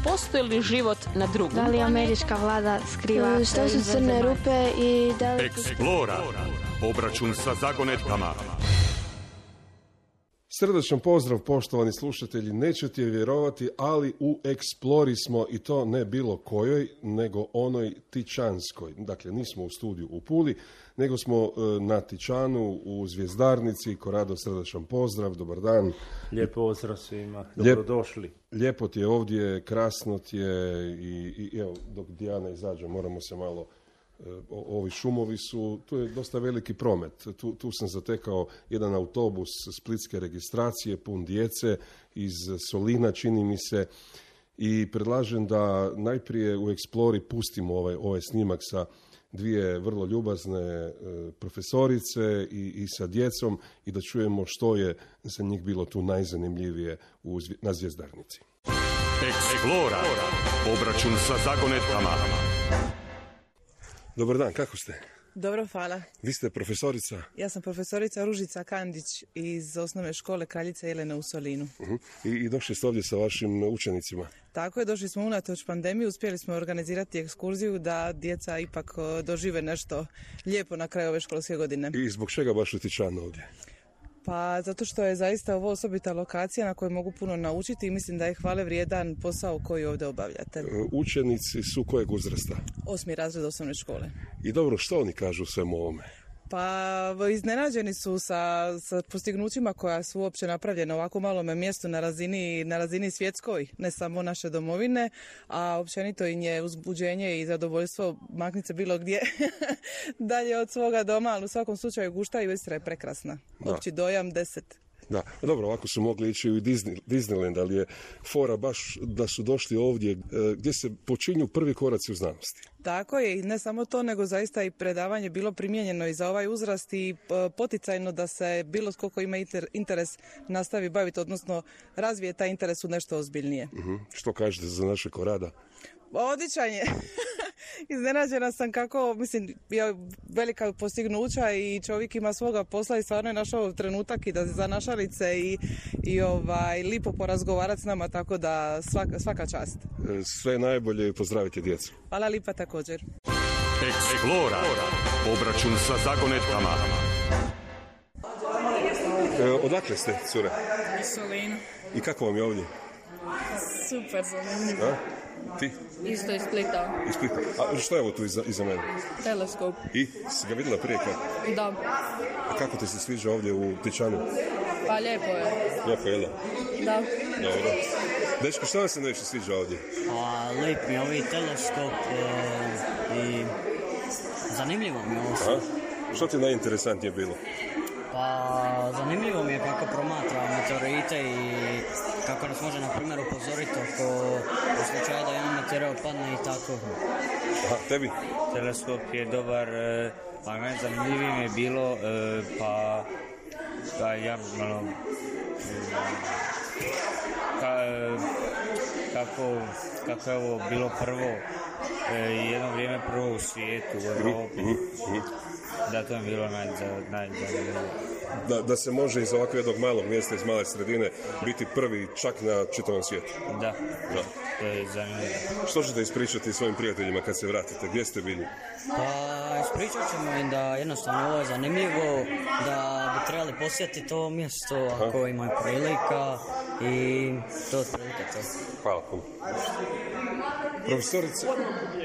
postoji li život na drugom Da li američka vlada skriva Što su crne rupe i da li... Explora. Obračun sa zagonetkama. Srdačan pozdrav, poštovani slušatelji. Nećete vjerovati, ali u Explori smo, i to ne bilo kojoj, nego onoj Tičanskoj. Dakle, nismo u studiju u Puli, nego smo na Tičanu u Zvjezdarnici. Korado, srdačan pozdrav, dobar dan. Lijep pozdrav svima, dobrodošli. Lijepo ti je ovdje, krasno ti je i evo, dok Dijana izađe, moramo se malo... Ovi šumovi su, tu je dosta veliki promet. Tu sam zatekao jedan autobus splitske registracije, pun djece iz Solina, čini mi se, i predlažem da najprije u Explori pustimo ovaj snimak sa dvije vrlo ljubazne profesorice i sa djecom i da čujemo što je za njih bilo tu najzanimljivije na Zvjezdarnici. Explora. Obračun sa zagonetkama. Dobar dan, kako ste? Dobro, hvala. Vi ste profesorica? Ja sam profesorica Ružica Kandić iz osnovne škole Kraljica Jelena u Solinu. I došli ste ovdje sa vašim učenicima? Tako je, došli smo unatoč pandemiji, uspjeli smo organizirati ekskurziju da djeca ipak dožive nešto lijepo na kraju ove školske godine. I zbog čega baš u Tičanu ovdje? Pa zato što je zaista ovo osobita lokacija na kojoj mogu puno naučiti i mislim da je hvale vrijedan posao koji ovdje obavljate. Učenici su kojeg uzrasta? 8. razred osnovne škole. I dobro, što oni kažu svemu ovome? Pa iznenađeni su sa postignućima koja su uopće napravljena u ovako malome mjestu na razini svjetskoj, ne samo naše domovine, a općenito im je uzbuđenje i zadovoljstvo makniti se bilo gdje dalje od svoga doma, ali u svakom slučaju Gušta i Istra je prekrasna. Opći dojam 10. Da, dobro, ovako su mogli ići u Disneyland, ali je fora baš da su došli ovdje gdje se počinju prvi koraci u znanosti. Tako je, i ne samo to, nego zaista i predavanje bilo primijenjeno i za ovaj uzrast i poticajno da se bilo koliko ima interes nastavi baviti, odnosno razvije taj interes u nešto ozbiljnije. Što kažete za naše Korada? Odličan je. Iznenađena sam kako, mislim, je velika postignuća i čovjek ima svoga posla i stvarno je našao trenutak i da za našalice i lipo porazgovarati s nama, tako da svaka čast. Sve najbolje i pozdravite djecu. Hvala lipa također. Explora. Obračun sa zagonetkama. Odakle ste, cure? Iz Solina. I kako vam je ovdje? Super zanimljivo. Ti? Isto iz Splita. Iz Splita. A što je ovo tu iza mene? Teleskop. I? Si ga vidjela prije kad? Da. A kako ti se sviđa ovdje u Tičanu? Pa lijepo je. Lijepo je, da? Dobro. Dečko, što vam se najviše sviđa ovdje? Pa lijep mi je ovaj teleskop i zanimljivo mi je ovo. Što ti najinteresantnije bilo? Pa zanimljivo mi je kako promatra meteorite i kako nas može, na primjer, upozoriti u slučaju da jedan meteor padne i tako. Aha, tebi? Teleskop je dobar, pa najzanimljivije mi je bilo, kako je ovo bilo prvo, jedno vrijeme prvo u svijetu, u Europi. Da, to je bilo najzanimljivije. Da se može iz ovakvog jednog malog mjesta, iz male sredine, biti prvi čak na čitavom svijetu. Da, to je zanimljivo. Što ćete ispričati svojim prijateljima kad se vratite? Gdje ste bili? Pa ispričat ćemo im da jednostavno ovo je zanimljivo, da bi trebali posjetiti ovo mjesto ako imaju prilika i to otprilike to. Hvala puno. Profesorice,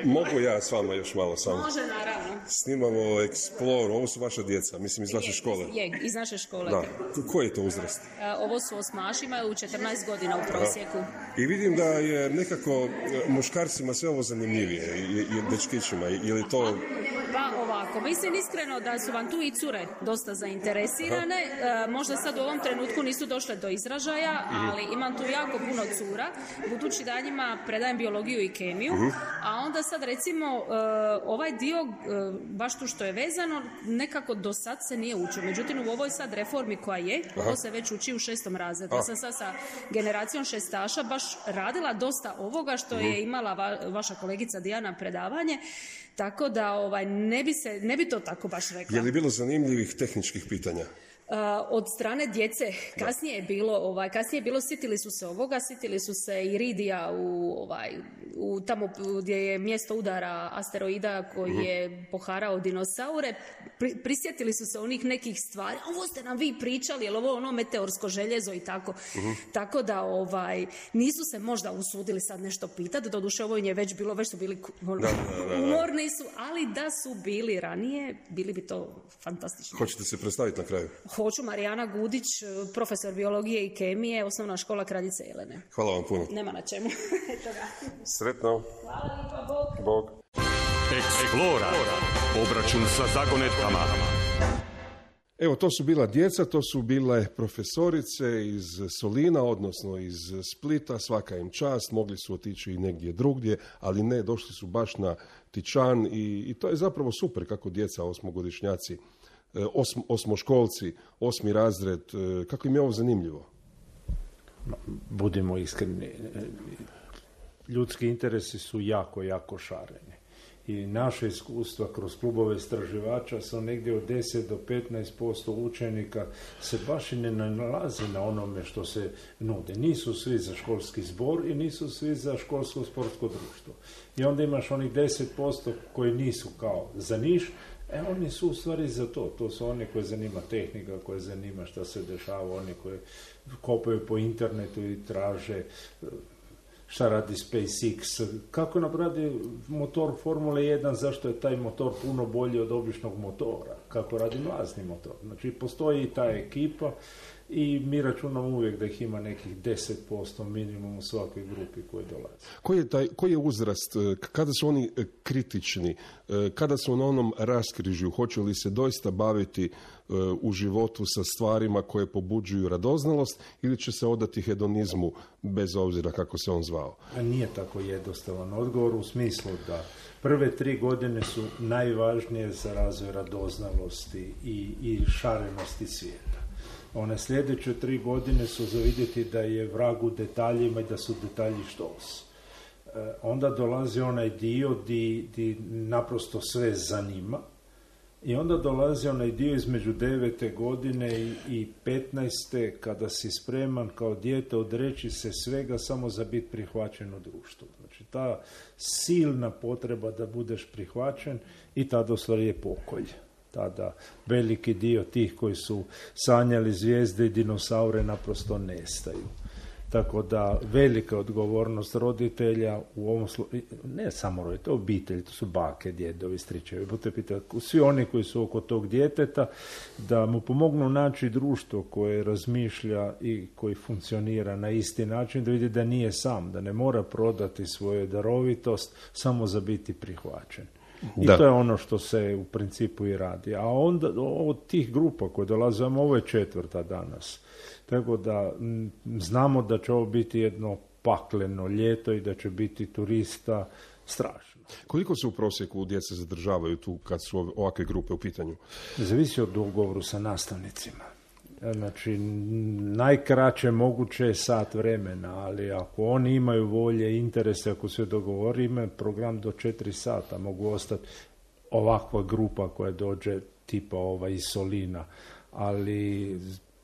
mogu ja s vama još malo samo? Može, naravno. Snimamo Explore, ovo su vaša djeca, mislim iz vaše škole. Je, iz naše škole. Da. Koji je to uzrast? Ovo su osmaši, imaju 14 godina u prosjeku. I vidim da je nekako muškarcima sve ovo zanimljivije i dečkićima, je li to... Pa ovako, mislim iskreno da su vam tu i cure dosta zainteresirane. Možda sad u ovom trenutku nisu došle do izražaja, ali imam tu jako puno cura, budući da njima predajem biologiju i kemiju, a onda sad recimo ovaj dio, baš tu što je vezano, nekako do sad se nije učio. Međutim, u ovoj sad reformi koja je, ovo se već uči u 6. razredu. Ja sam sad sa generacijom šestaša baš radila dosta ovoga što je imala vaša kolegica Dijana predavanje, tako da ne bi to tako baš rekla. Je li bilo zanimljivih tehničkih pitanja? od strane djece. Kasnije je bilo, sitili su se ovoga, sitili su se i Ridija u tamo gdje je mjesto udara asteroida koji je poharao dinosaure. Prisjetili su se onih nekih stvari. Ovo ste nam vi pričali, je li ovo ono meteorsko željezo i tako. Tako da nisu se možda usudili sad nešto pitati. Doduše ovo je već bilo, već su bili umorni su, ali da su bili ranije, bili bi to fantastično. Hoćete se predstaviti na kraju? Hoću, Marijana Gudić, profesor biologije i kemije, osnovna škola Kraljice Jelene. Hvala vam puno. Nema na čemu. Sretno. Hvala lijepa, Bog. Explora. Obračun sa zagonetkama. Evo, to su bila djeca, to su bile profesorice iz Solina, odnosno iz Splita, svaka im čast, mogli su otići i negdje drugdje, ali ne, došli su baš na Tičan i to je zapravo super kako djeca, osmogodišnjaci, osmoškolci, 8. razred, kako im je ovo zanimljivo. Budimo iskreni, ljudski interesi su jako, jako šareni. I naše iskustva kroz klubove istraživača su negdje od 10 do 15% učenika se baš i ne nalazi na onome što se nude. Nisu svi za školski zbor i nisu svi za školsko sportsko društvo. I onda imaš onih 10% koji nisu kao za niš, oni su u stvari za to. To su oni koji zanima tehnika, koji zanima šta se dešava, oni koji kopaju po internetu i traže šta radi SpaceX, kako napravi motor Formule 1, zašto je taj motor puno bolji od običnog motora, kako radi mlazni motor. Znači, postoji i ta ekipa i mi računamo uvijek da ih ima nekih 10% minimum u svakoj grupi koji dolaze. Koji je uzrast, kada su oni kritični, kada su na onom raskrižju, hoće li se doista baviti u životu sa stvarima koje pobuđuju radoznalost ili će se odati hedonizmu bez obzira kako se on zvao? Nije tako jednostavan odgovor u smislu da prve 3 godine su najvažnije za razvoj radoznalosti i šarenosti svijeta. One sljedeće 3 godine su za vidjeti da je vrag u detaljima i da su detalji štos. Onda dolazi onaj dio di naprosto sve zanima. I onda dolazi onaj dio između 9. godine i 15. kada si spreman kao dijete odreći se svega samo za biti prihvaćen u društvu. Znači ta silna potreba da budeš prihvaćen i tada u stvari je pokolj. Tada veliki dio tih koji su sanjali zvijezde i dinosaure naprosto nestaju. Tako da velika odgovornost roditelja u ovom ne samo roditelja, obitelji, to su bake, djedovi, stričevi, budete pitati, svi oni koji su oko tog djeteta, da mu pomognu naći društvo koje razmišlja i koji funkcionira na isti način, da vidi da nije sam, da ne mora prodati svoju darovitost samo za biti prihvaćen. I to je ono što se u principu i radi. A onda od tih grupa koje dolaze, ovo je 4. danas. Tako da znamo da će ovo biti jedno pakleno ljeto i da će biti turista strašno. Koliko se u prosjeku djece zadržavaju tu kad su ovakve grupe u pitanju? Zavisi od dogovoru sa nastavnicima. Znači, najkraće moguće je sat vremena, ali ako oni imaju volje, interese, ako se dogovori, ima program do 4 sata, mogu ostati ovakva grupa koja dođe tipa iz Solina, ali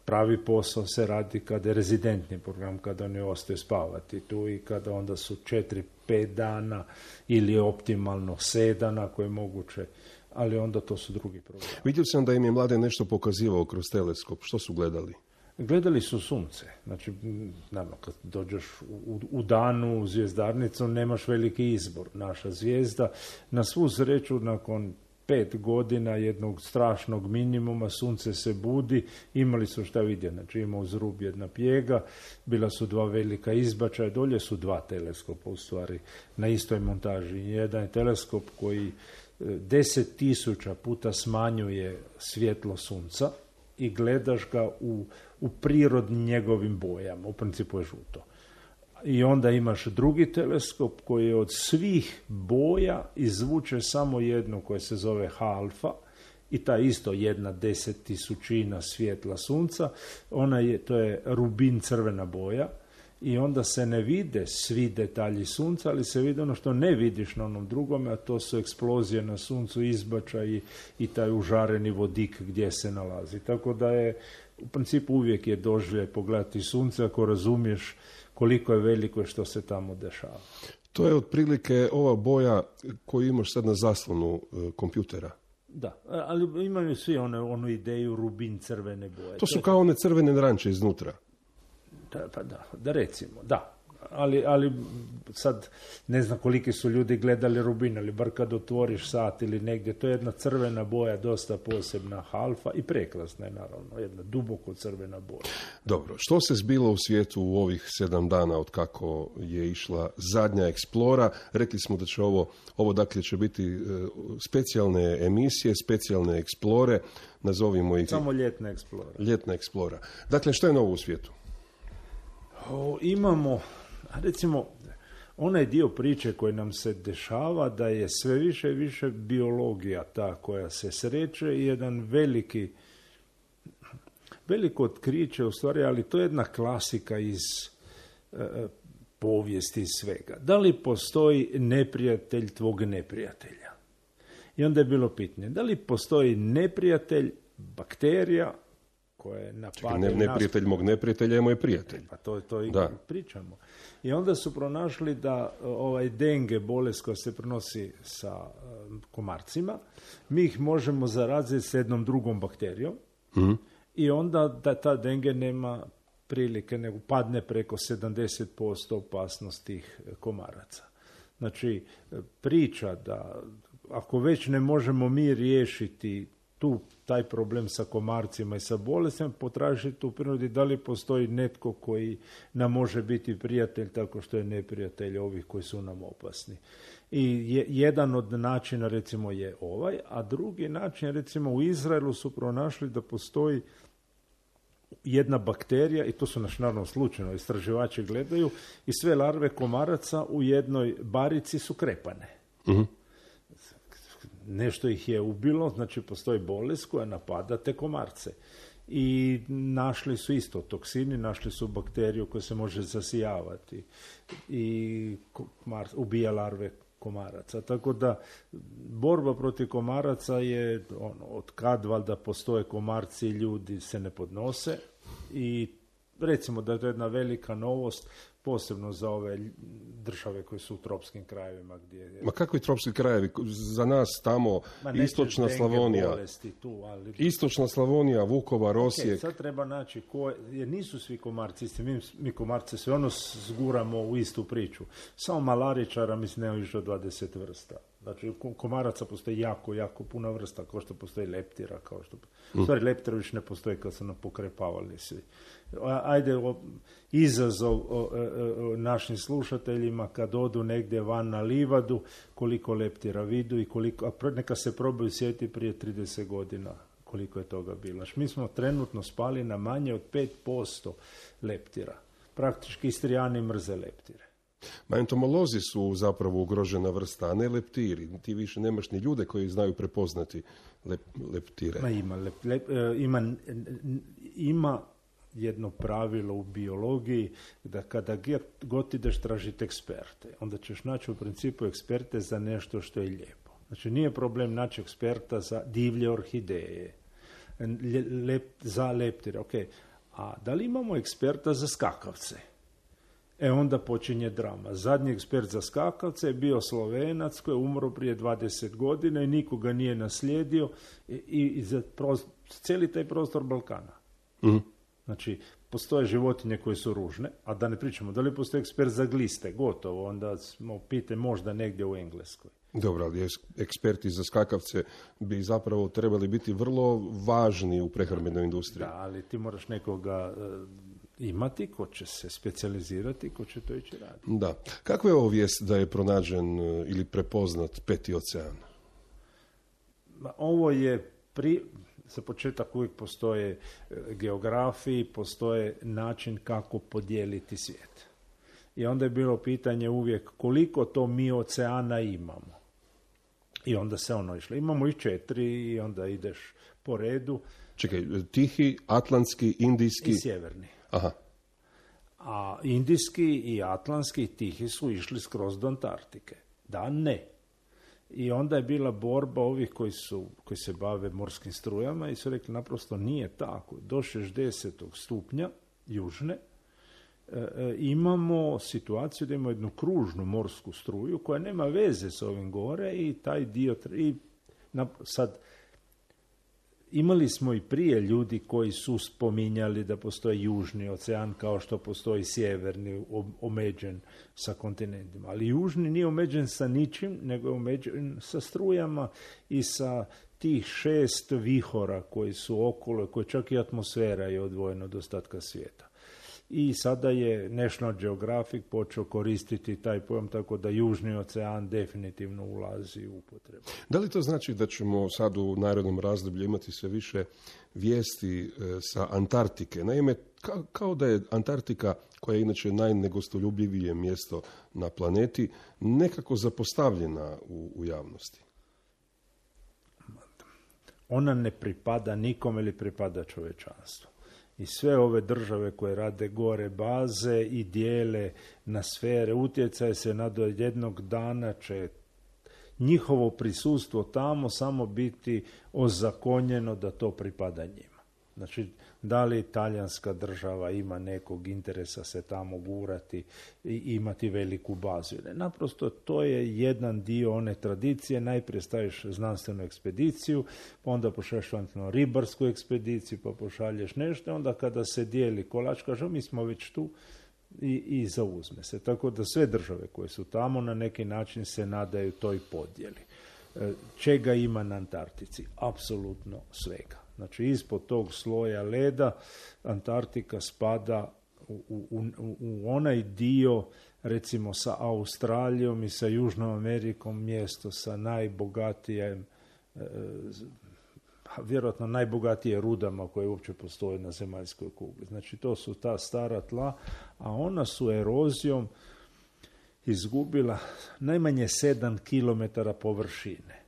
pravi posao se radi kada je rezidentni program, kada oni ostaju spavati tu i kada onda su 4-5 dana ili optimalno 7 dana ako je moguće, ali onda to su drugi programi. Vidio sam da im je Mladen nešto pokazivao kroz teleskop. Što su gledali? Gledali su sunce. Znači, naravno, kad dođeš u danu u zvjezdarnicu, nemaš veliki izbor. Naša zvijezda, na svu sreću, nakon 5 godina jednog strašnog minimuma, sunce se budi, imali su šta vidjeti. Znači, ima uz rub jedna pjega, bila su 2 velika izbačaja, dolje su 2 teleskopa, u stvari, na istoj montaži. Jedan je teleskop koji 10.000 puta smanjuje svjetlo sunca i gledaš ga u prirodnim njegovim bojama, u principu je žuto. I onda imaš drugi teleskop koji od svih boja izvuče samo jednu koja se zove H-alfa i ta isto 1/10.000 svjetla sunca, to je rubin, crvena boja, i onda se ne vide svi detalji sunca, ali se vidi ono što ne vidiš na onom drugome, a to su eksplozije na suncu, izbačaj i taj užareni vodik gdje se nalazi. Tako da je, u principu uvijek je doživljaj pogledati sunce ako razumiješ koliko je veliko što se tamo dešava. To je otprilike ova boja koju imaš sad na zaslonu kompjutera. Da, ali imaju svi onu ideju rubin crvene boje. To su kao one crvene naranče iznutra. Da recimo, da. Ali sad ne znam koliki su ljudi gledali rubin, ali bar kad otvoriš sat ili negdje, to je jedna crvena boja, dosta posebna, halfa i prekrasna je naravno, jedna duboko crvena boja. Dobro, što se zbilo u svijetu u ovih 7 dana od kako je išla zadnja Explora? Rekli smo da će ovo dakle će biti specijalne emisije, specijalne Explore, nazovimo ih... Samo ljetna Explora. Ljetna Explora. Dakle, što je novo u svijetu? Imamo, recimo, onaj dio priče koji nam se dešava da je sve više i više biologija ta koja se sreće i jedan veliko otkriće u stvari, ali to je jedna klasika iz povijesti svega. Da li postoji neprijatelj tvog neprijatelja? I onda je bilo pitanje, da li postoji neprijatelj bakterija koje napadaju neprijatelj mog neprijatelja je moj prijatelj. Pa to i pričamo. I onda su pronašli da denge, bolest koja se prenosi sa komarcima, mi ih možemo zaraziti s jednom drugom bakterijom i onda da ta denge nema prilike, nego padne preko 70% opasnost tih komaraca. Znači, priča da ako već ne možemo mi riješiti taj problem sa komarcima i sa bolestima, potražiti u prirodi da li postoji netko koji nam može biti prijatelj tako što je neprijatelj ovih koji su nam opasni. I jedan od načina recimo je ovaj, a drugi način recimo u Izraelu su pronašli da postoji jedna bakterija, i to su naravno slučajno istraživači gledaju, i sve larve komaraca u jednoj barici su krepane. Nešto ih je ubilo, znači postoji bolest koja napada te komarce. I našli su isto toksini, našli su bakteriju koja se može zasijavati i ubija larve komaraca. Tako da borba protiv komaraca je od kad valjda postoje komarci i ljudi se ne podnose i recimo da je to jedna velika novost, posebno za ove države koje su u tropskim krajevima. Ma kakvi tropski krajevi? Za nas tamo istočna Slavonija. Istočna Slavonija, Vukovar, Osijek. Sad treba naći jer nisu svi komarci isti. Mi komarce sve zguramo u istu priču. Samo malaričara mislim nema više od 20 vrsta. Znači komaraca postoji jako puno vrsta, kao što postoji leptira, stvari leptira više ne postoji kad su nam pokrepavali svi. Ajde, izazov našim slušateljima kad odu negdje van na livadu, koliko leptira vidu i neka se probaju sjetiti prije 30 godina koliko je toga bilo. Mi smo trenutno spali na manje od 5% leptira. Praktički Istrijani mrze leptire. Ma entomolozi su zapravo ugrožena vrsta, a ne leptiri. Ti više nemaš ni ljude koji znaju prepoznati leptire. Ima jedno pravilo u biologiji da kada god ideš tražiti eksperte, onda ćeš naći u principu eksperte za nešto što je lijepo. Znači nije problem naći eksperta za divlje orhideje, za leptire, ok. A da li imamo eksperta za skakavce? Onda počinje drama. Zadnji ekspert za skakavce je bio Slovenac koji je umro prije 20 godina i nikoga nije naslijedio i za cijeli taj prostor Balkana. Znači, postoje životinje koje su ružne, a da ne pričamo, da li postoji ekspert za gliste, gotovo, onda smo pite možda negdje u Engleskoj. Dobro, ali eksperti za skakavce bi zapravo trebali biti vrlo važni u prehrambenoj industriji. Da, ali ti moraš nekoga imati ko će se specijalizirati, ko će to ići raditi. Da. Kakva je ovo vijest da je pronađen ili prepoznat Peti ocean? Ovo je za početak uvijek postoje geografiji, postoje način kako podijeliti svijet. I onda je bilo pitanje uvijek koliko to mi oceana imamo. I onda se išlo. Imamo i 4 i onda ideš po redu. Čekaj, Tihi, Atlantski, Indijski... I Sjeverni. Aha. A indijski i atlantski tihi su išli skroz do Antarktike. Da, ne. I onda je bila borba ovih koji se bave morskim strujama i su rekli naprosto nije tako. Do 60. stupnja južne imamo situaciju da imamo jednu kružnu morsku struju koja nema veze s ovim gore i taj dio... Sad, imali smo i prije ljudi koji su spominjali da postoji južni ocean kao što postoji sjeverni omeđen sa kontinentima. Ali južni nije omeđen sa ničim, nego je omeđen sa strujama i sa tih 6 vihora koji su okolo, koji čak i atmosfera je odvojena od ostatka svijeta. I sada je National Geographic počeo koristiti taj pojam, tako da Južni ocean definitivno ulazi u upotrebu. Da li to znači da ćemo sad u narednom razdoblju imati sve više vijesti sa Antarktike? Naime, kao da je Antarktika, koja je inače najnegostoljubljivije mjesto na planeti, nekako zapostavljena u javnosti. Ona ne pripada nikome ili pripada čovječanstvu. I sve ove države koje rade gore baze i dijele na sfere utjecaje se do jednog dana će njihovo prisustvo tamo samo biti ozakonjeno da to pripada njima. Znači, da li talijanska država ima nekog interesa se tamo gurati i imati veliku bazu? Naprosto to je jedan dio one tradicije. Najprije staviš znanstvenu ekspediciju, pa onda pošalješ ribarsku ekspediciju, pa pošalješ nešto, onda kada se dijeli kolač, kaže mi smo već tu i zauzme se. Tako da sve države koje su tamo na neki način se nadaju toj podjeli. Čega ima na Antarktici? Apsolutno svega. Znači, ispod tog sloja leda Antarktika spada u onaj dio, recimo sa Australijom i sa Južnom Amerikom, mjesto sa najbogatijim, vjerojatno najbogatije rudama koje uopće postoje na zemaljskoj kugli. Znači, to su ta stara tla, a ona su erozijom izgubila najmanje 7 km površine.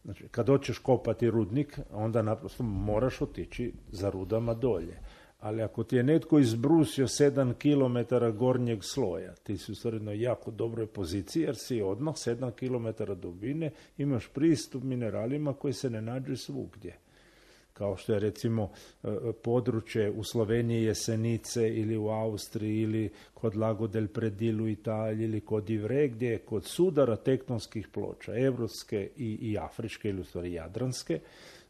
Znači, kad hoćeš kopati rudnik, onda naprosto moraš otići za rudama dolje. Ali ako ti je netko izbrusio 7 km gornjeg sloja, ti si u stvari jako dobroj poziciji, jer si odmah 7 km dubine imaš pristup mineralima koji se ne nađu svugdje. Kao što je recimo područje u Sloveniji Jesenice ili u Austriji ili kod Lago del Predil u Italiji ili kod Ivre, gdje je kod sudara tektonskih ploča, evropske i afričke ili u stvari jadranske,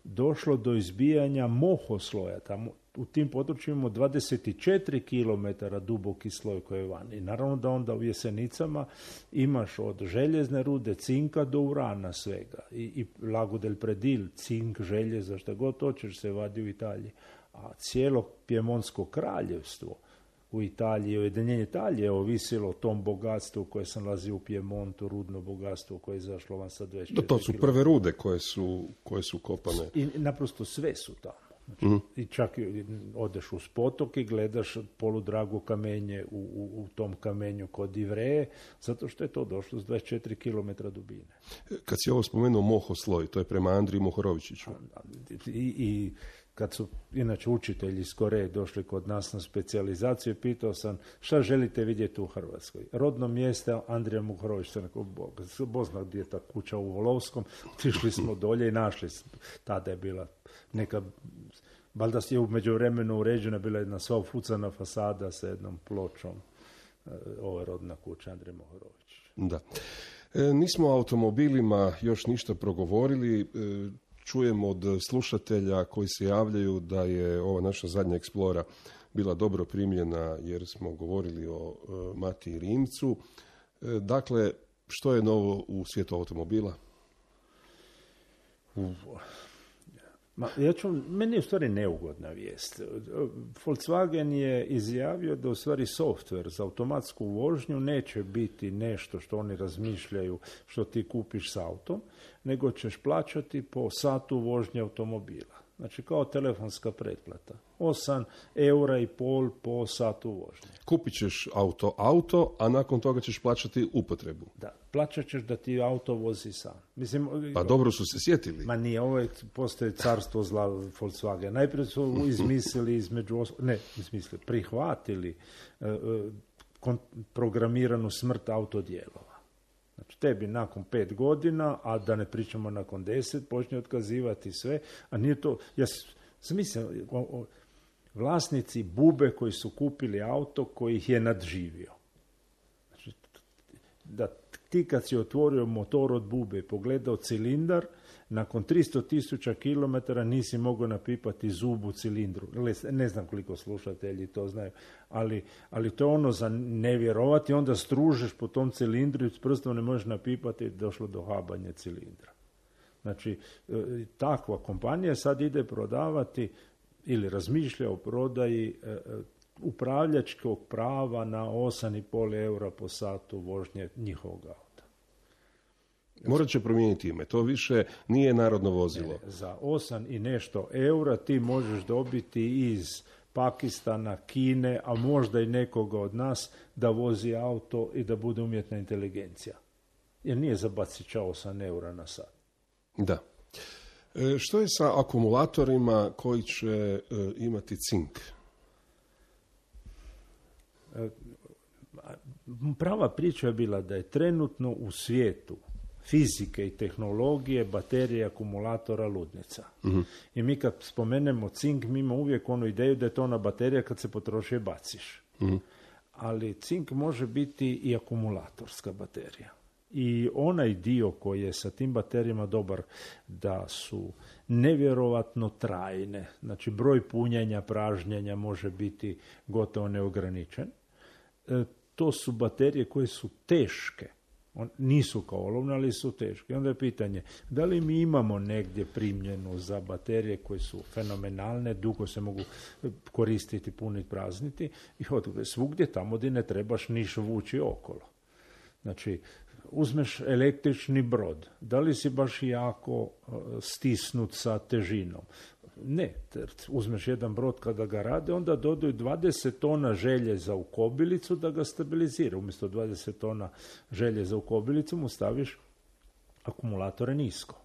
došlo do izbijanja mohosloja. Tamo u tim područjima imamo 24 km duboki sloj koji je van. I naravno da onda u Jesenicama imaš od željezne rude, cinka do urana svega. I Lago del Predil, cink, željeza, šta god hoćeš se vadi u Italiji. A cijelo Pjemonsko kraljevstvo u Italiji, ujedinjenje Italije je ovisilo o tom bogatstvu koje se nalazi u Pjemontu, rudno bogatstvo koje je izašlo van sa 24 To su prve rude koje su kopane. I naprosto sve su tamo. Znači, i čak odeš uz potok i gledaš poludrago kamenje u tom kamenju kod Ivreje, zato što je to došlo s 24 km dubine. Kad si ovo spomenuo mohosloj, to je prema Andriji Mohorovičiću. I kad su inače učitelji iz Koreje došli kod nas na specijalizaciju, pitao sam šta želite vidjeti u Hrvatskoj. Rodno mjesto Andrija Mohorović, Bozna gdje je ta kuća u Volovskom, otišli smo dolje i našli. Tada je bila neka, valjda je u međuvremenu uređena, bila jedna sva ufucana fasada sa jednom pločom, ova rodna kuća Andrija Mohorović. Da. Nismo o automobilima još ništa progovorili. Čujemo od slušatelja koji se javljaju da je ova naša zadnja Explora bila dobro primljena jer smo govorili o Matiji Rimcu. Dakle, što je novo u svijetu automobila? Meni je u stvari neugodna vijest. Volkswagen je izjavio da u stvari software za automatsku vožnju neće biti nešto što oni razmišljaju što ti kupiš s autom, nego ćeš plaćati po satu vožnje automobila. Znači kao telefonska pretplata. 8,5 eura po satu vožnje. Kupit ćeš auto, a nakon toga ćeš plaćati upotrebu. Da, plaćat ćeš da ti auto vozi sam. Mislim, pa dobro su se sjetili. Ma nije, ovo je, postoji carstvo zla Volkswagen. Najprije su izmislili prihvatili programiranu smrt autodijelova. Znači, tebi nakon 5 godina, a da ne pričamo nakon 10, počne otkazivati sve, a nije to, ja sam mislio, vlasnici bube koji su kupili auto koji ih je nadživio. Znači, da ti kad si otvorio motor od bube i pogledao cilindar, nakon 300,000 kilometara nisi mogao napipati zub u cilindru. Ne znam koliko slušatelji to znaju, ali to je ono za nevjerovati, onda stružeš po tom cilindru i s prstom ne možeš napipati i došlo do habanja cilindra. Znači, takva kompanija sad ide prodavati ili razmišlja o prodaji upravljačkog prava na 8,5 eura po satu vožnje njihovog auta. Morat će promijeniti ime. To više nije narodno vozilo. Ne, za 8 i nešto eura ti možeš dobiti iz Pakistana, Kine, a možda i nekoga od nas da vozi auto i da bude umjetna inteligencija. Jer nije za bacića 8 eura na sat. Da. Što je sa akumulatorima koji će imati cink? Prava priča je bila da je trenutno u svijetu fizike i tehnologije baterije akumulatora ludnica. Uh-huh. I mi kad spomenemo cink, mi imamo uvijek onu ideju da je to ona baterija kad se potroši je baciš. Uh-huh. Ali cink može biti i akumulatorska baterija. I onaj dio koji je sa tim baterijama dobar da su nevjerovatno trajne. Znači broj punjenja, pražnjenja može biti gotovo neograničen. To su baterije koje su teške. Nisu kao olovne, ali su teške. I onda je pitanje, da li mi imamo negdje primjenu za baterije koje su fenomenalne, dugo se mogu koristiti, puniti, prazniti i svugdje tamo gdje ne trebaš niš vući okolo. Znači, uzmeš električni brod, da li si baš jako stisnut sa težinom? Ne, uzmeš jedan brod kada ga rade, onda dodaju 20 tona željeza u kobilicu da ga stabilizira. Umjesto 20 tona željeza u kobilicu mu staviš akumulatore nisko.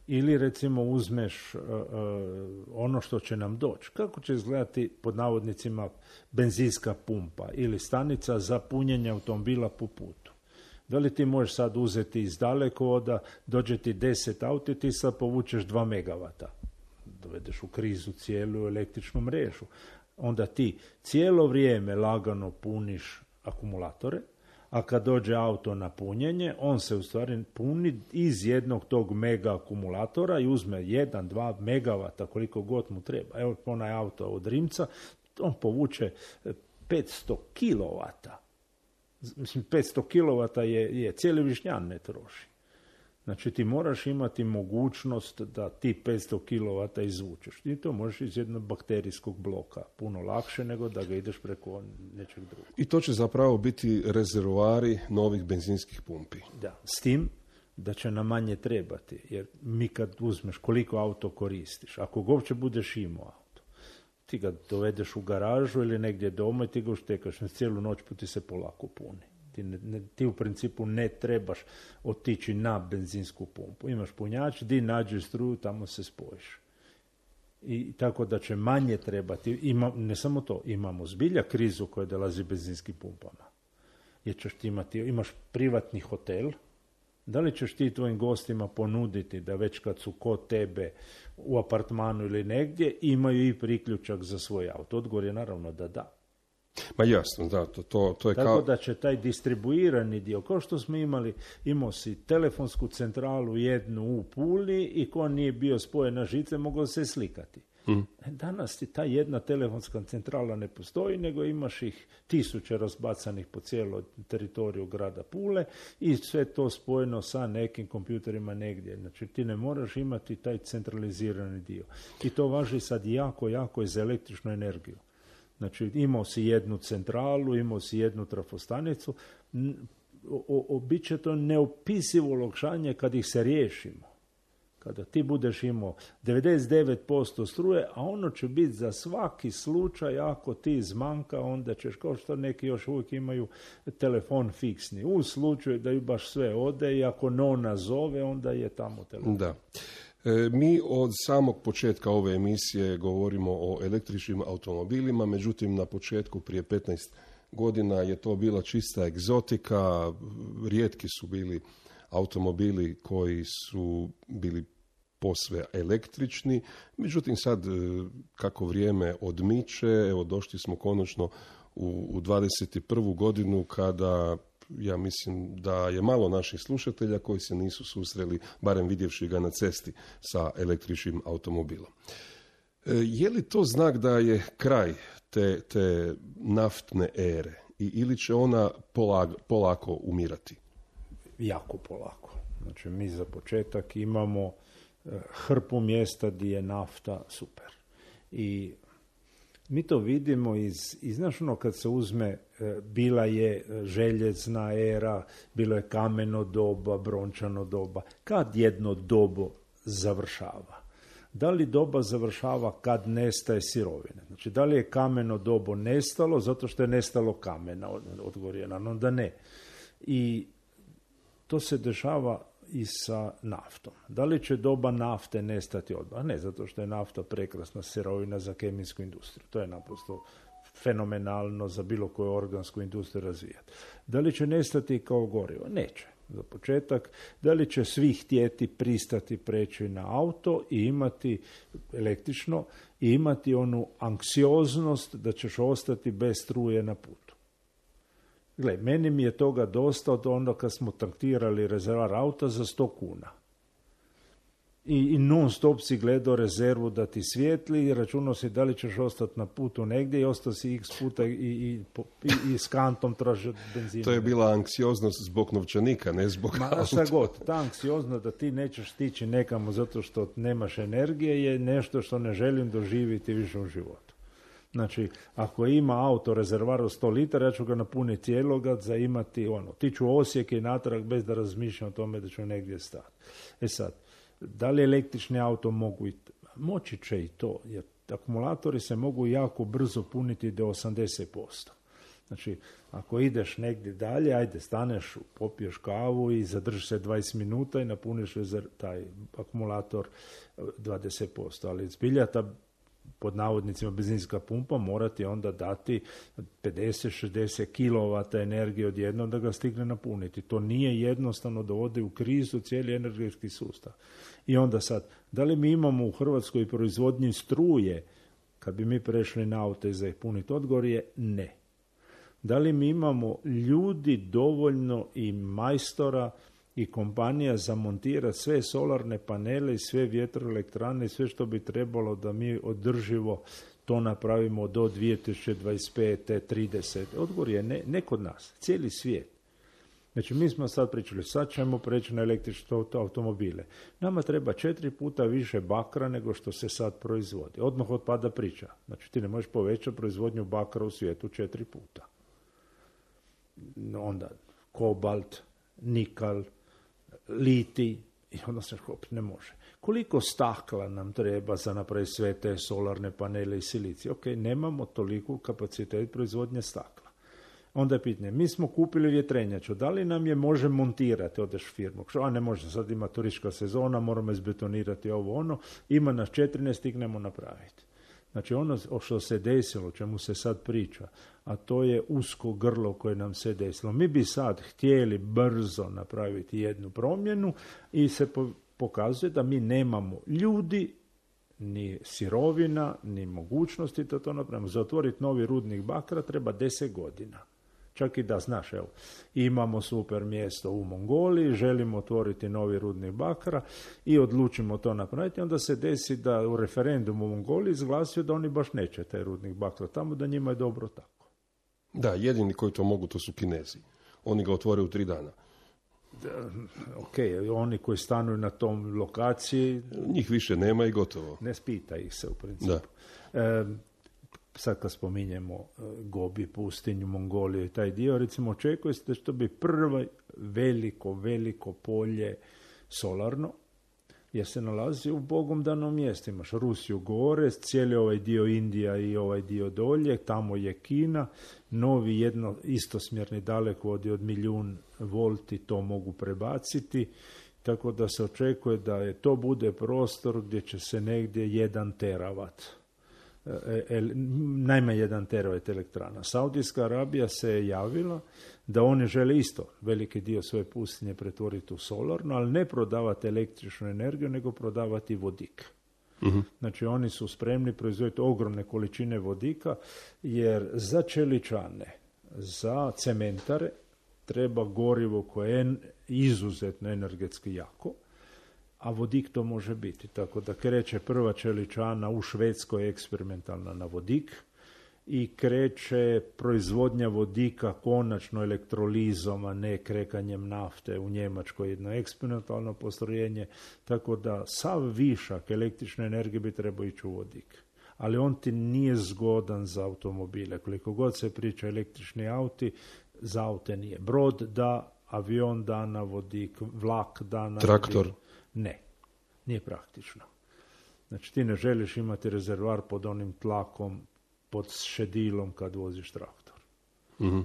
Ili recimo uzmeš ono što će nam doći. Kako će izgledati pod navodnicima benzinska pumpa ili stanica za punjenje automobila po putu? Da li ti možeš sad uzeti iz dalekovoda, dođe ti 10 auti, ti sad povučeš 2 megavata. Dovedeš u krizu cijelu električnu mrežu. Onda ti cijelo vrijeme lagano puniš akumulatore, a kad dođe auto na punjenje, on se u stvari puni iz jednog tog mega akumulatora i uzme 1-2 megavata koliko god mu treba. Evo onaj auto od Rimca, on povuče 500 kilovata. Mislim, 500 kilovata je cijeli Višnjan ne troši. Znači ti moraš imati mogućnost da ti 500 kilovata izvučeš. I to možeš iz jednog bakterijskog bloka. Puno lakše nego da ga ideš preko nečeg drugog. I to će zapravo biti rezervoari novih benzinskih pumpi. Da, s tim da će nam manje trebati. Jer mi kad uzmeš koliko auto koristiš, ako ga uopće budeš imao auto, ti ga dovedeš u garažu ili negdje doma i ti ga uštekaš. Cijelu noć ti se polako puni. Ti u principu ne trebaš otići na benzinsku pumpu. Imaš punjač, di nađeš struju, tamo se spojiš. I tako da će manje trebati. Ne samo to, imamo zbilja krizu koja dolazi benzinskim pumpama. Jer ćeš ti imaš privatni hotel, da li ćeš ti tvojim gostima ponuditi da već kad su kod tebe u apartmanu ili negdje, imaju i priključak za svoj auto? Odgovor je naravno da da. Ma jasno, da, to je tako da će taj distribuirani dio, kao što smo imao si telefonsku centralu jednu u Puli i ko nije bio spojen na žice, mogao se slikati. Danas ti ta jedna telefonska centrala ne postoji, nego imaš ih 1000 razbacanih po cijelom teritoriju grada Pule i sve to spojeno sa nekim kompjuterima negdje. Znači ti ne moraš imati taj centralizirani dio. I to važi sad jako i za električnu energiju. Znači, imao si jednu centralu, imao si jednu trafostanicu, bit će to neopisivo olakšanje kad ih se riješimo. Kada ti budeš imao 99% struje, a ono će biti za svaki slučaj, ako ti zmanka, onda ćeš, kao što neki još uvijek imaju telefon fiksni. U slučaju da ju baš sve ode i ako nona zove, onda je tamo telefon. Da. Mi od samog početka ove emisije govorimo o električnim automobilima, međutim na početku prije 15 godina je to bila čista egzotika, rijetki su bili automobili koji su bili posve električni, međutim sad kako vrijeme odmiče, evo došli smo konačno u 21. godinu kada ja mislim da je malo naših slušatelja koji se nisu susreli, barem vidjevši ga na cesti, sa električnim automobilom. Je li to znak da je kraj te naftne ere ili će ona polako umirati? Jako polako. Znači mi za početak imamo hrpu mjesta gdje je nafta super. I mi to vidimo iz znaš ono kad se uzme, bila je željezna era, bilo je kameno doba, brončano doba. Kad jedno dobo završava? Da li doba završava kad nestaje sirovine? Znači, da li je kameno dobo nestalo zato što je nestalo kamena? Odgovor je onda ne. I to se dešava i sa naftom. Da li će doba nafte nestati odmah? Ne, zato što je nafta prekrasna sirovina za kemijsku industriju. To je naprosto fenomenalno za bilo koju organsku industriju razvijati. Da li će nestati kao gorivo? Neće. Za početak, da li će svi htjeti pristati preći na auto i imati električno i imati onu anksioznost da ćeš ostati bez struje na putu. Gle, meni mi je toga dosta od onda kad smo tankirali rezervar auta za 100 kuna. I non stop si gledao rezervu da ti svijetli i računao si da li ćeš ostati na putu negdje i ostao si x puta i s kantom tražiti benzina. To je bila anksioznost zbog novčanika, ne zbog auta. Šta god, ta anksioznost da ti nećeš stići nekamo zato što nemaš energije je nešto što ne želim doživjeti više u životu. Znači, ako ima auto rezervar od 100 litara, ja ću ga napuniti cijeloga za imati tiću Osijek i natrag bez da razmišljam o tome da ću negdje stati. Sad, da li električni auto mogu i moći će i to, jer akumulatori se mogu jako brzo puniti do 80%. Znači, ako ideš negdje dalje, ajde, staneš, popiješ kavu i zadržiš se 20 minuta i napuniš taj akumulator 20%. Ali zbilja ta, pod navodnicima, benzinska pumpa morati onda dati 50-60 kW energije odjednom da ga stigne napuniti. To nije jednostavno, dovodi u krizu cijeli energetski sustav. I onda sad, da li mi imamo u Hrvatskoj proizvodnji struje kad bi mi prešli na aute za ih puniti? Odgovor je ne. Da li mi imamo ljudi dovoljno i majstora i kompanija za montirati sve solarne panele i sve vjetroelektrane i sve što bi trebalo da mi održivo to napravimo do 2025. 30. Odgovor je ne kod nas, cijeli svijet. Znači, mi smo sad pričali, sad ćemo preći na električne automobile. Nama treba 4 puta više bakra nego što se sad proizvodi. Odmah otpada priča. Znači, ti ne možeš povećati proizvodnju bakra u svijetu 4 puta. Onda kobalt, nikal, litij, i onda se ne može. Koliko stakla nam treba za napraviti sve te solarne panele i silicije? Ok, nemamo toliko kapacitet proizvodnje stakla. Onda je pitanje, mi smo kupili vjetrenjaču, da li nam je može montirati, odeš firmu, a ne može, sad ima turistička sezona, moramo izbetonirati ovo ono, ima nas 4, ne stignemo napraviti. Znači ono što se desilo, o čemu se sad priča, a to je usko grlo koje nam se desilo. Mi bi sad htjeli brzo napraviti jednu promjenu i se pokazuje da mi nemamo ljudi, ni sirovina, ni mogućnosti da to napravimo. Za otvoriti novi rudnik bakra treba 10 godina. Čak i da, znaš, evo, imamo super mjesto u Mongoliji, želimo otvoriti novi rudnik bakra i odlučimo to napraviti, onda se desi da u referendumu u Mongoliji izglasio da oni baš neće taj rudnik bakra tamo, da njima je dobro tako. Da, jedini koji to mogu, to su Kinezi. Oni ga otvore u 3 dana. Ok, oni koji stanuju na tom lokaciji... Njih više nema i gotovo. Ne spita ih se u principu. Da. Sad kad spominjemo Gobi pustinju, Mongoliju i taj dio, recimo očekuje se da će to biti prvo veliko polje solarno, jer se nalazi u Bogom danom mjestu. Imaš Rusiju gore, cijeli ovaj dio Indija i ovaj dio dolje, tamo je Kina, novi istosmjerni dalekovodi od 1.000.000 volti to mogu prebaciti, tako da se očekuje da to bude prostor gdje će se negdje 1 teravat, najmanje 1 teravat elektrana. Saudijska Arabija se je javila da oni žele isto veliki dio svoje pustinje pretvoriti u solarno, ali ne prodavati električnu energiju, nego prodavati vodik. Uh-huh. Znači oni su spremni proizvoditi ogromne količine vodika, jer za čeličane, za cementare treba gorivo koje je izuzetno energetski jako, a vodik to može biti. Tako da kreće prva čeličana u Švedskoj eksperimentalna na vodik i kreće proizvodnja vodika konačno elektrolizom, a ne krekanjem nafte u Njemačkoj, jedno eksperimentalno postrojenje, tako da sav višak električne energije bi trebao ići u vodik. Ali on ti nije zgodan za automobile. Koliko god se priča električni auti, za aute nije. Brod da, avion da na vodik, vlak da na traktor. Vodik. Ne, nije praktično. Znači ti ne želiš imati rezervoar pod onim tlakom, pod šedilom kad voziš traktor. Mm-hmm.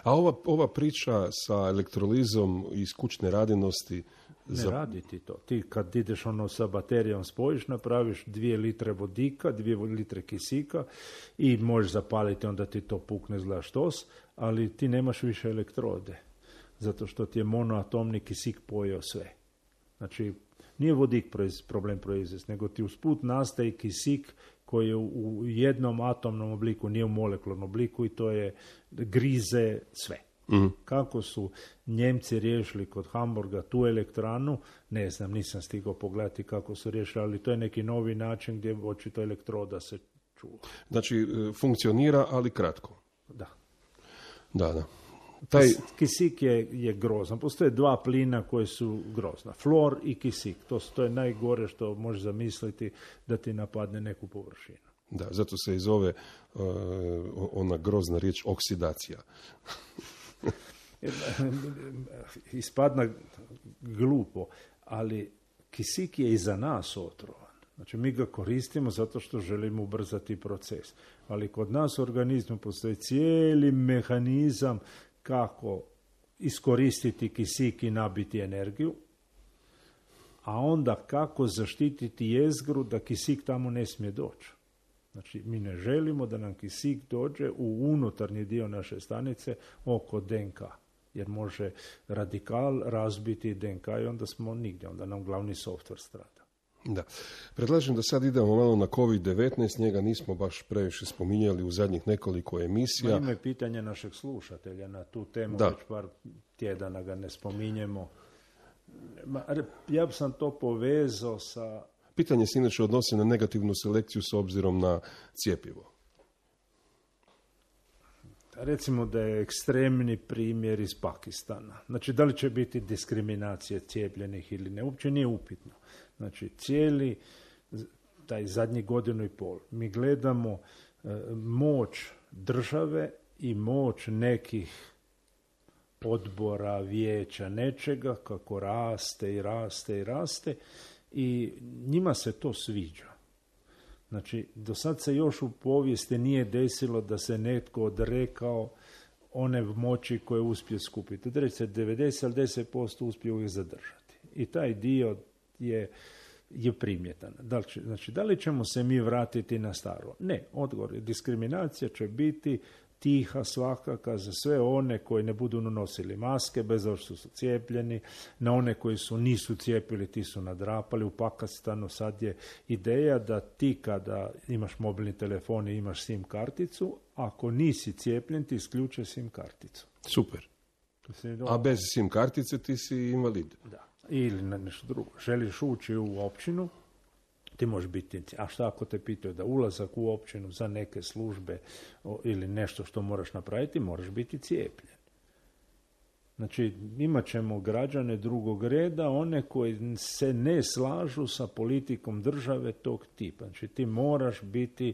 A ova priča sa elektrolizom iz kućne radinosti... Ne radi ti to. Ti kad ideš sa baterijom spojiš, napraviš 2 litre vodika, 2 litre kisika i možeš zapaliti, onda ti to pukne zla štos, ali ti nemaš više elektrode. Zato što ti je monoatomni kisik pojeo sve. Znači, nije vodik problem proizvesti, nego ti usput nastaje kisik koji je u jednom atomnom obliku, nije u molekularnom obliku i to je grize sve. Mm-hmm. Kako su Njemci riješili kod Hamburga tu elektranu, ne znam, nisam stigao pogledati kako su riješili, ali to je neki novi način gdje očito elektroda se čuva. Znači, funkcionira, ali kratko. Da. Da. Kisik je grozan. Postoje 2 plina koji su grozna. Flor i kisik. To je najgore što možeš zamisliti da ti napadne neku površinu. Da, zato se i zove ona grozna riječ oksidacija. Ispadna glupo, ali kisik je i za nas otrovan. Znači mi ga koristimo zato što želimo ubrzati proces. Ali kod nas u organizmu postoji cijeli mehanizam kako iskoristiti kisik i nabiti energiju, a onda kako zaštititi jezgru da kisik tamo ne smije doći. Znači, mi ne želimo da nam kisik dođe u unutarnji dio naše stanice oko DNK, jer može radikal razbiti DNK i onda smo nigdje, onda nam glavni softver strada. Da. Predlažem da sad idemo malo na COVID-19, njega nismo baš previše spominjali u zadnjih nekoliko emisija. Ima je pitanje našeg slušatelja na tu temu, već par tjedana ga ne spominjemo. Ja sam to povezao sa... Pitanje se inače odnosi na negativnu selekciju s obzirom na cjepivo. Recimo da je ekstremni primjer iz Pakistana. Znači, da li će biti diskriminacije cijepljenih ili ne, uopće nije upitno. Znači, cijeli taj zadnji 1.5 godina mi gledamo moć države i moć nekih odbora, vijeća, nečega, kako raste i raste i raste i njima se to sviđa. Znači, do sad se još u povijesti nije desilo da se netko odrekao one moći koje uspije skupiti. Reći se 90 ili 10% uspije uvijek zadržati. I taj dio je primjetan. Da li ćemo se mi vratiti na staro? Ne, odgovor je. Diskriminacija će biti tiha svakaka za sve one koji ne budu nosili maske, bez obzira što su cijepljeni, na one koji nisu cijepili, ti su nadrapali. U Pakistanu sad je ideja da ti kada imaš mobilni telefon i imaš SIM karticu, ako nisi cijepljen, ti isključe SIM karticu. Super. A bez SIM kartice ti si invalid. Da. Ili nešto drugo. Želiš ući u općinu, ti možeš biti, a šta ako te pitaju da ulazak u općinu za neke službe ili nešto što moraš napraviti, moraš biti cijepljen. Znači, imat ćemo građane drugog reda, one koji se ne slažu sa politikom države tog tipa. Znači, ti moraš biti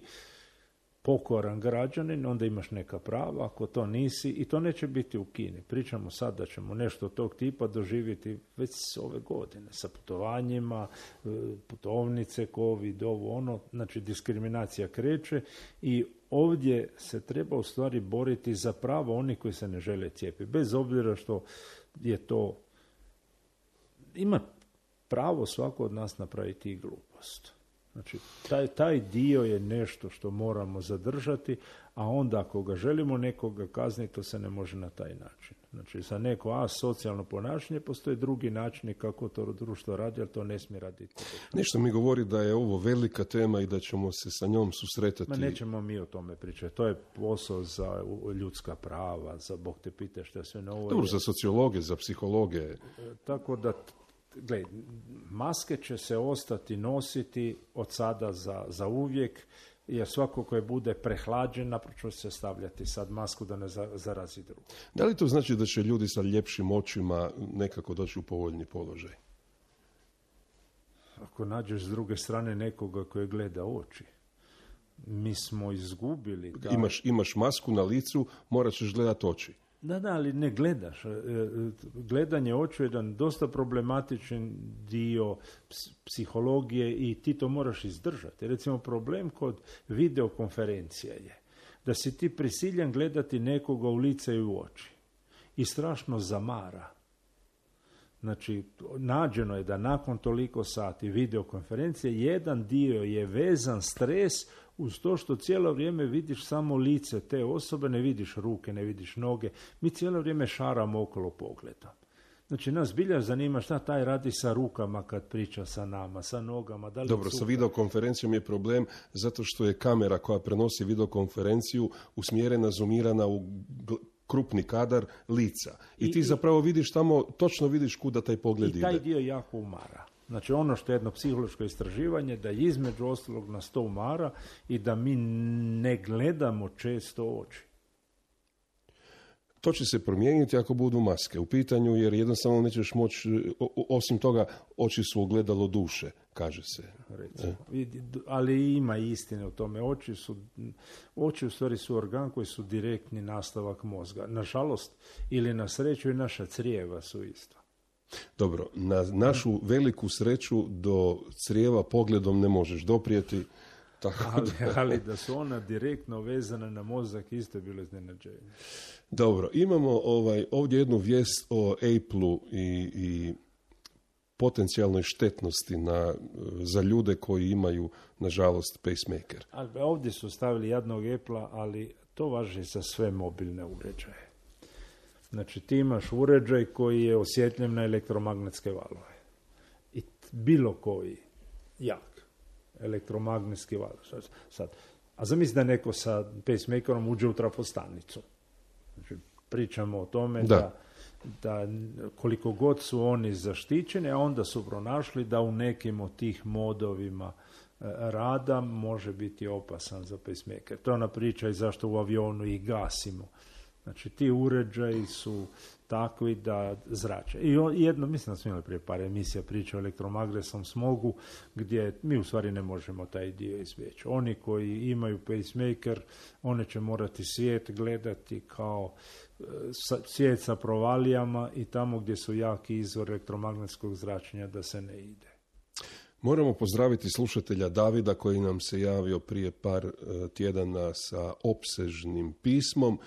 pokoran građanin, onda imaš neka prava, ako to nisi, i to neće biti u Kini. Pričamo sad da ćemo nešto tog tipa doživjeti već ove godine, sa putovanjima, putovnice, COVID, ovo, ono, znači diskriminacija kreće i ovdje se treba u stvari boriti za pravo onih koji se ne žele cijepiti, bez obzira što je to, ima pravo svako od nas napraviti i glupost. Znači, taj dio je nešto što moramo zadržati, a onda ako ga želimo nekoga kazniti, to se ne može na taj način. Znači, za neko asocijalno ponašanje postoje drugi načini kako to društvo radi, ali to ne smije raditi. Nešto mi govori da je ovo velika tema i da ćemo se sa njom susretati. Ma nećemo mi o tome pričati. To je posao za ljudska prava, za Bog te pita što sve novo. Dobro, za sociologe, za psihologe. Tako da, gledaj, maske će se ostati nositi od sada za uvijek, jer svako koje bude prehlađen, naprosto će se stavljati sad masku da ne zarazi drugo. Da li to znači da će ljudi sa ljepšim očima nekako doći u povoljni položaj? Ako nađeš s druge strane nekoga koji gleda oči, mi smo izgubili. Imaš masku na licu, morat ćeš gledati oči. Da, ali ne gledaš. Gledanje očiju je jedan dosta problematičan dio psihologije i ti to moraš izdržati. Recimo, problem kod videokonferencija je da si ti prisiljen gledati nekoga u lice i u oči i strašno zamara. Znači, nađeno je da nakon toliko sati videokonferencije jedan dio je vezan stres uz to što cijelo vrijeme vidiš samo lice te osobe, ne vidiš ruke, ne vidiš noge. Mi cijelo vrijeme šaramo okolo pogleda. Znači, nas bilja zanima šta taj radi sa rukama kad priča sa nama, sa nogama. Da li dobro, sa videokonferencijom je problem zato što je kamera koja prenosi videokonferenciju usmjerena, zoomirana u krupni kadar lica. I ti zapravo vidiš tamo, točno vidiš kuda taj pogled ide. I taj dio jako umara. Znači, ono što je jedno psihološko istraživanje, da između ostalog nas to umara i da mi ne gledamo često oči. To će se promijeniti ako budu maske u pitanju, jer jednostavno nećeš moći, osim toga, oči su ogledalo duše, kaže se. Recimo. Ali ima istine u tome. Oči u stvari su organ koji su direktni nastavak mozga. Nažalost, ili na sreću, i naša crijeva su isto. Dobro, na našu veliku sreću do crijeva pogledom ne možeš doprijeti. Tako ali da su ona direktno vezana na mozak, isto je bilo iznenađenje. Dobro, imamo ovdje jednu vijest o Apple-u i potencijalnoj štetnosti za ljude koji imaju, nažalost, pacemaker. Ali ovdje su stavili jednog Apple-a, ali to važi za sve mobilne uređaje. Znači, ti imaš uređaj koji je osjetljiv na elektromagnetske valove. I bilo koji jak elektromagnetski val. Sad. A zamisli da neko sa pacemakerom uđe u trafostanicu. Znači, pričamo o tome da koliko god su oni zaštićeni, a onda su pronašli da u nekim od tih modovima rada može biti opasan za pacemaker. To je ona priča i zašto u avionu ih gasimo. Znači, ti uređaji su takvi da zrače. I jedno, mislim da smo imali prije par emisija priča o elektromagnetskom smogu, gdje mi u stvari ne možemo taj dio izbjeći. Oni koji imaju pacemaker, one će morati svijet gledati kao svijet sa provalijama i tamo gdje su jaki izvor elektromagnetskog zračenja da se ne ide. Moramo pozdraviti slušatelja Davida koji nam se javio prije par tjedana sa opsežnim pismom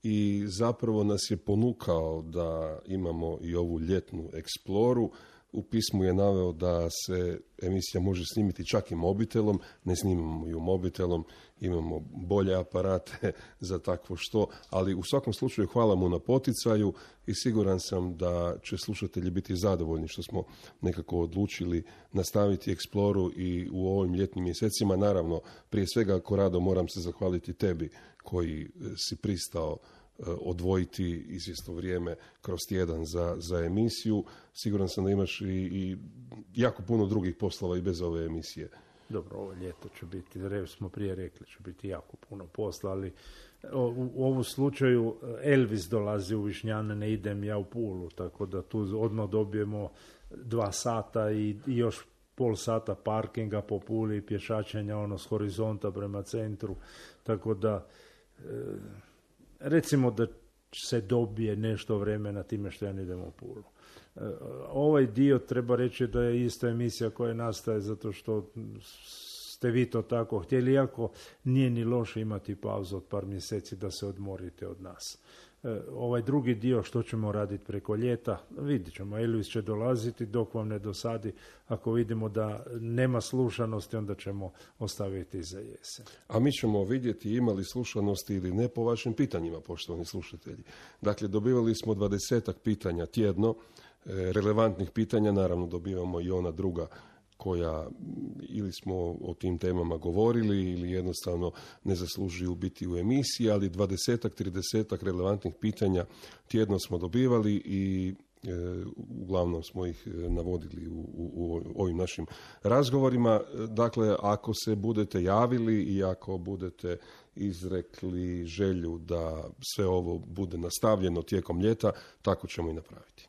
i zapravo nas je ponukao da imamo i ovu ljetnu eksploru. U pismu je naveo da se emisija može snimiti čak i mobitelom, ne snimamo ju mobitelom, imamo bolje aparate za takvo što, ali u svakom slučaju hvala mu na poticaju i siguran sam da će slušatelji biti zadovoljni što smo nekako odlučili nastaviti eksploru i u ovim ljetnim mjesecima. Naravno, prije svega, Korado, moram se zahvaliti tebi koji si pristao odvojiti izvjesno vrijeme kroz tjedan za emisiju. Siguran sam da imaš i jako puno drugih poslova i bez ove emisije. Dobro, ovo ljeto će biti, smo prije rekli, će biti jako puno posla, ali u ovom slučaju Elvis dolazi u Višnjane, ne idem ja u Pulu, tako da tu odmah dobijemo 2 sata i još pol sata parkinga po Puli, pješačenja s horizonta prema centru, tako da recimo da se dobije nešto vremena time što ja ne idem u Pulu. Ovaj dio treba reći da je isto emisija koja nastaje zato što ste vi to tako htjeli, iako nije ni loše imati pauzu od par mjeseci da se odmorite od nas. Ovaj drugi dio što ćemo raditi preko ljeta, vidjet ćemo. Elvis će dolaziti dok vam ne dosadi. Ako vidimo da nema slušanosti, onda ćemo ostaviti za jesen. A mi ćemo vidjeti imali slušanosti ili ne po vašim pitanjima, poštovani slušatelji. Dakle, dobivali smo 20 pitanja tjedno, relevantnih pitanja, naravno dobivamo i ona druga koja ili smo o tim temama govorili ili jednostavno ne zaslužuju biti u emisiji, ali 20-30 relevantnih pitanja tjedno smo dobivali i uglavnom smo ih navodili u ovim našim razgovorima. Dakle, ako se budete javili i ako budete izrekli želju da sve ovo bude nastavljeno tijekom ljeta, tako ćemo i napraviti.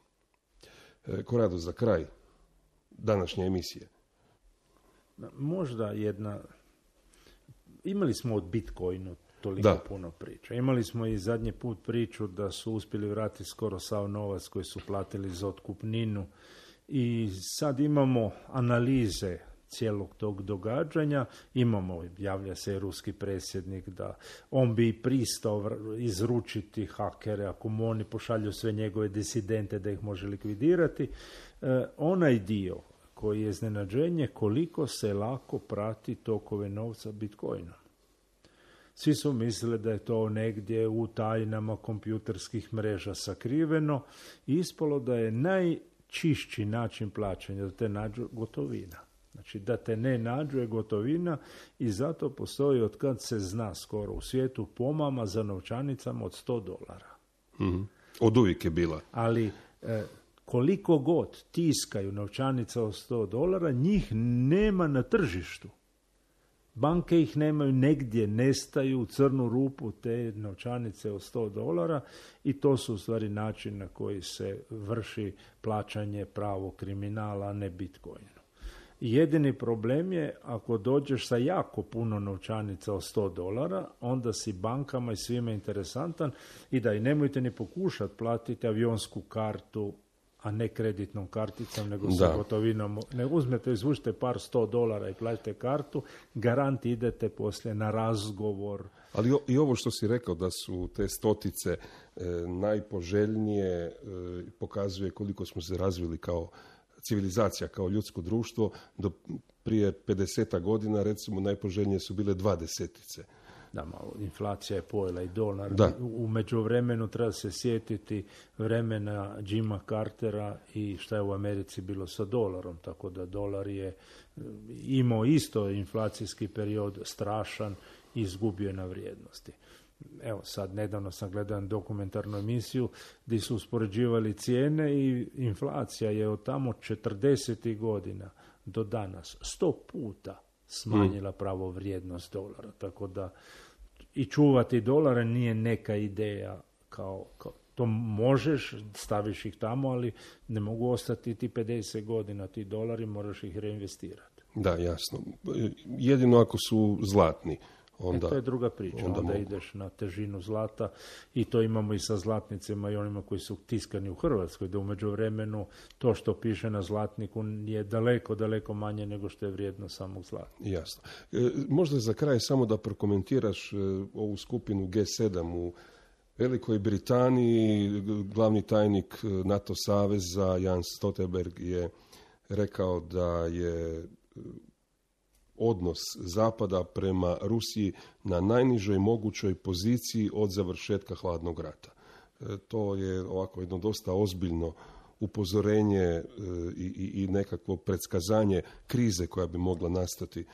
Korado, za kraj današnje emisije. Možda jedna... Imali smo od Bitcoinu toliko puno priča. Imali smo i zadnji put priču da su uspjeli vratiti skoro sav novac koji su platili za otkupninu. I sad imamo analize cijelog tog događanja. Javlja se ruski predsjednik da on bi pristao izručiti hakere ako mu oni pošalju sve njegove disidente da ih može likvidirati. Onaj dio koji je iznenađenje koliko se lako prati tokove novca Bitcoinom. Svi su mislili da je to negdje u tajnama kompjuterskih mreža sakriveno i ispalo da je najčišći način plaćanja da te nađu gotovina. Znači da te ne nađu je gotovina i zato postoji od kad se zna skoro u svijetu pomama za novčanicama od $100. Mm-hmm. Od uvijek je bila. Ali koliko god tiskaju novčanica od $100, njih nema na tržištu. Banke ih nemaju, negdje nestaju u crnu rupu te novčanice od $100 i to su u stvari način na koji se vrši plaćanje pravog kriminala, a ne Bitcoinu. Jedini problem je ako dođeš sa jako puno novčanica od $100, onda si bankama i svima interesantan i da i nemojte ni pokušati platiti avionsku kartu, a ne kreditnom karticom, nego sa gotovinom. Ne uzmete, izvučite par $100 i platite kartu, garant idete poslije na razgovor. Ali i ovo što si rekao da su te stotice najpoželjnije, pokazuje koliko smo se razvili kao civilizacija, kao ljudsko društvo. Do prije 50 godina, recimo, najpoželjnije su bile 20. Da, malo inflacija je pojela i dolar. U međuvremenu treba se sjetiti vremena Jima Cartera i šta je u Americi bilo sa dolarom. Tako da dolar je imao isto inflacijski period strašan i izgubio je na vrijednosti. Evo sad, nedavno sam gledao dokumentarnu emisiju gdje su uspoređivali cijene i inflacija je od tamo 40. godina do danas 100 puta smanjila pravo vrijednost dolara. Tako da i čuvati dolara nije neka ideja kao to možeš, staviš ih tamo, ali ne mogu ostati ti 50 godina, ti dolari, moraš ih reinvestirati. Da, jasno. Jedino ako su zlatni. Onda, to je druga priča, onda ideš na težinu zlata i to imamo i sa zlatnicima i onima koji su tiskani u Hrvatskoj, da u međuvremenu to što piše na zlatniku je daleko, daleko manje nego što je vrijedno samog zlata. Jasno. Možda za kraj samo da prokomentiraš ovu skupinu G7 u Velikoj Britaniji. Glavni tajnik NATO saveza Jens Stoltenberg je rekao da je odnos Zapada prema Rusiji na najnižoj mogućoj poziciji od završetka hladnog rata. To je ovako jedno dosta ozbiljno upozorenje i nekakvo predskazanje krize koja bi mogla nastati,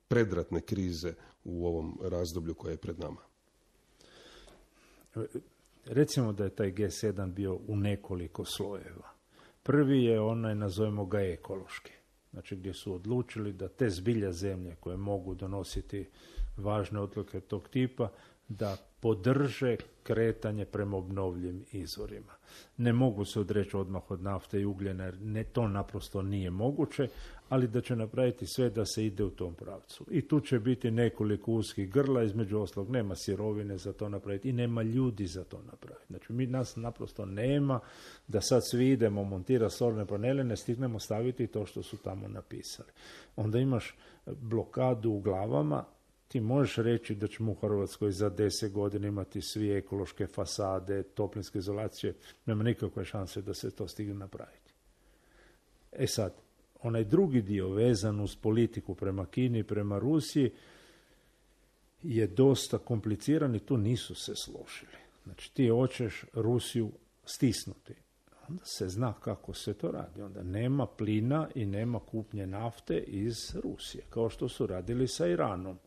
predratne krize u ovom razdoblju koje je pred nama. Recimo da je taj G7 bio u nekoliko slojeva. Prvi je onaj, nazovemo ga ekološki. Znači gdje su odlučili da te zbilja zemlje koje mogu donositi važne odluke tog tipa da podrže kretanje prema obnovljivim izvorima. Ne mogu se odreći odmah od nafte i ugljena, jer to naprosto nije moguće, ali da će napraviti sve da se ide u tom pravcu. I tu će biti nekoliko uskih grla, između ostalog nema sirovine za to napraviti i nema ljudi za to napraviti. Znači, nas naprosto nema da sad svi idemo montirati solarne panele, ne stignemo staviti to što su tamo napisali. Onda imaš blokadu u glavama. Ti možeš reći da ćemo u Hrvatskoj za 10 godina imati svi ekološke fasade, toplinske izolacije, nema nikakve šanse da se to stigne napraviti. E sad, onaj drugi dio vezan uz politiku prema Kini i prema Rusiji je dosta kompliciran i tu nisu se složili. Znači, ti hoćeš Rusiju stisnuti. Onda se zna kako se to radi. Onda nema plina i nema kupnje nafte iz Rusije, kao što su radili sa Iranom.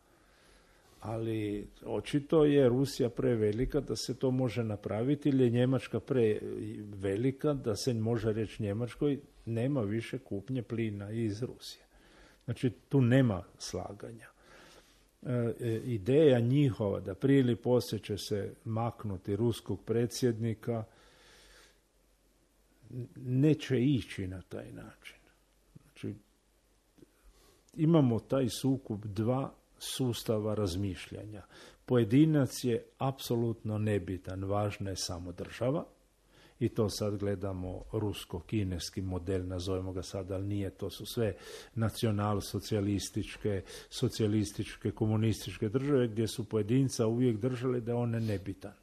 Ali očito je Rusija prevelika da se to može napraviti ili je Njemačka prevelika da se može reći Njemačkoj nema više kupnje plina iz Rusije. Znači tu nema slaganja. Ideja njihova da prije ili poslije će se maknuti ruskog predsjednika neće ići na taj način. Znači imamo taj sukob dva sustava razmišljanja. Pojedinac je apsolutno nebitan, važna je samo država i to sad gledamo rusko-kineski model, nazovemo ga sad, ali nije, to su sve nacional-socijalističke, socijalističke, komunističke države gdje su pojedinca uvijek držali da on je nebitan.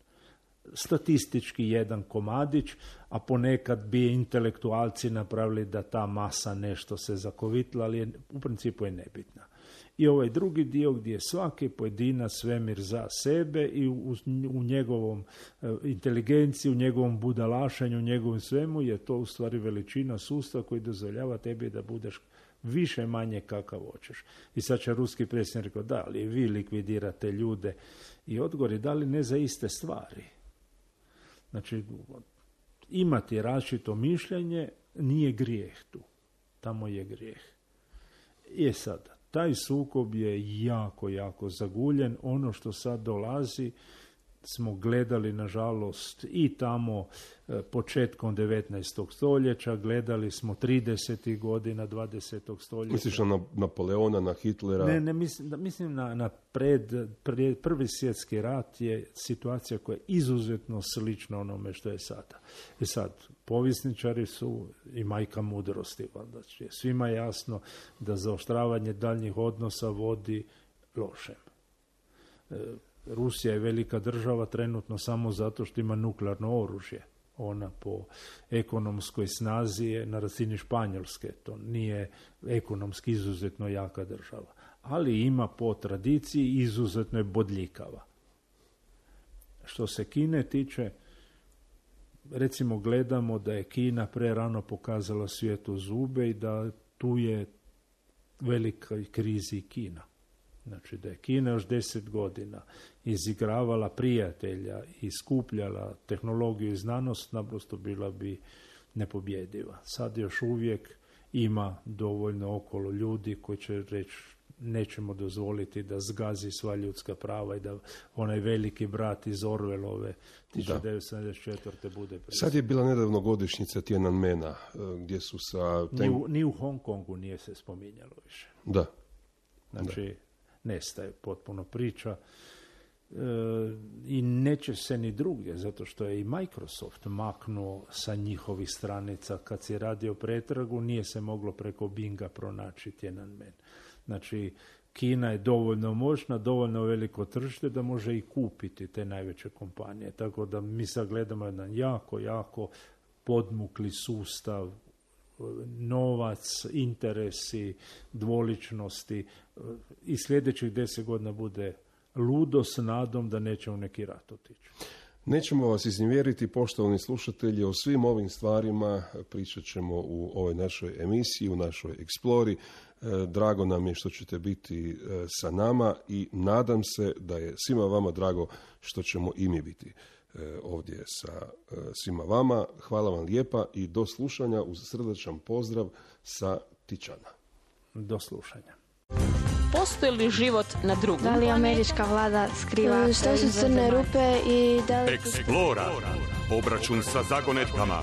Statistički jedan komadić, a ponekad bi intelektualci napravili da ta masa nešto se zakovitla, ali u principu je nebitna. I ovaj drugi dio gdje je svaki pojedinac svemir za sebe i u njegovom inteligenciji, u njegovom budalašenju, u njegovom svemu je to u stvari veličina sustava koji dozvoljava tebi da budeš više manje kakav hoćeš. I sad će ruski predsjednik rekao, da, ali vi likvidirate ljude i odgovori, da li ne za iste stvari. Znači, imati različito mišljenje nije grijeh tu. Tamo je grijeh. I sada, taj sukob je jako, jako zaguljen. Ono što sad dolazi smo gledali, nažalost, i tamo početkom 19. stoljeća, gledali smo 30. godina 20. stoljeća. Misliš na Napoleona, na Hitlera? Ne, mislim na prvi svjetski rat je situacija koja je izuzetno slična onome što je sada. I sad, povjesničari su i majka mudrosti, valjda je svima jasno da zaoštravanje daljnjih odnosa vodi lošem. Rusija je velika država trenutno samo zato što ima nuklearno oružje. Ona po ekonomskoj snazi je na razini Španjolske. To nije ekonomski izuzetno jaka država. Ali ima po tradiciji izuzetno je bodljikava. Što se Kine tiče, recimo gledamo da je Kina prerano pokazala svijetu zube i da tu je velika krizi Kina. Znači da je Kina još 10 godina izigravala prijatelja i skupljala tehnologiju i znanost, naprosto bila bi nepobjediva. Sad još uvijek ima dovoljno okolo ljudi koji će reći nećemo dozvoliti da zgazi sva ljudska prava i da onaj veliki brat iz Orwellove 1974. bude predsjednik. Sad je bila nedavno godišnjica Tiananmena gdje su sa... Ni u Hong Kongu nije se spominjalo više. Da. Znači, nestaje potpuno priča i neće se ni drugdje, zato što je i Microsoft maknuo sa njihovih stranica. Kad si radio pretragu, nije se moglo preko Binga pronaći Tiananmen. Znači, Kina je dovoljno moćna, dovoljno veliko tržište da može i kupiti te najveće kompanije. Tako da mi sad gledamo jedan jako, jako podmukli sustav, novac, interesi, dvoličnosti i sljedećih 10 godina bude ludo s nadom da neće u neki rat otići. Nećemo vas iznevjeriti, poštovani slušatelji, o svim ovim stvarima pričat ćemo u ovoj našoj emisiji, u našoj Explori. Drago nam je što ćete biti sa nama i nadam se da je svima vama drago što ćemo i mi biti ovdje sa svima vama. Hvala vam lijepa i do slušanja uz srdačan pozdrav sa Tičana. Do slušanja. Postoji li život na drugom Da li američka vlada skriva Što su crne rupe i da li... Explora. Obračun sa zagonetkama.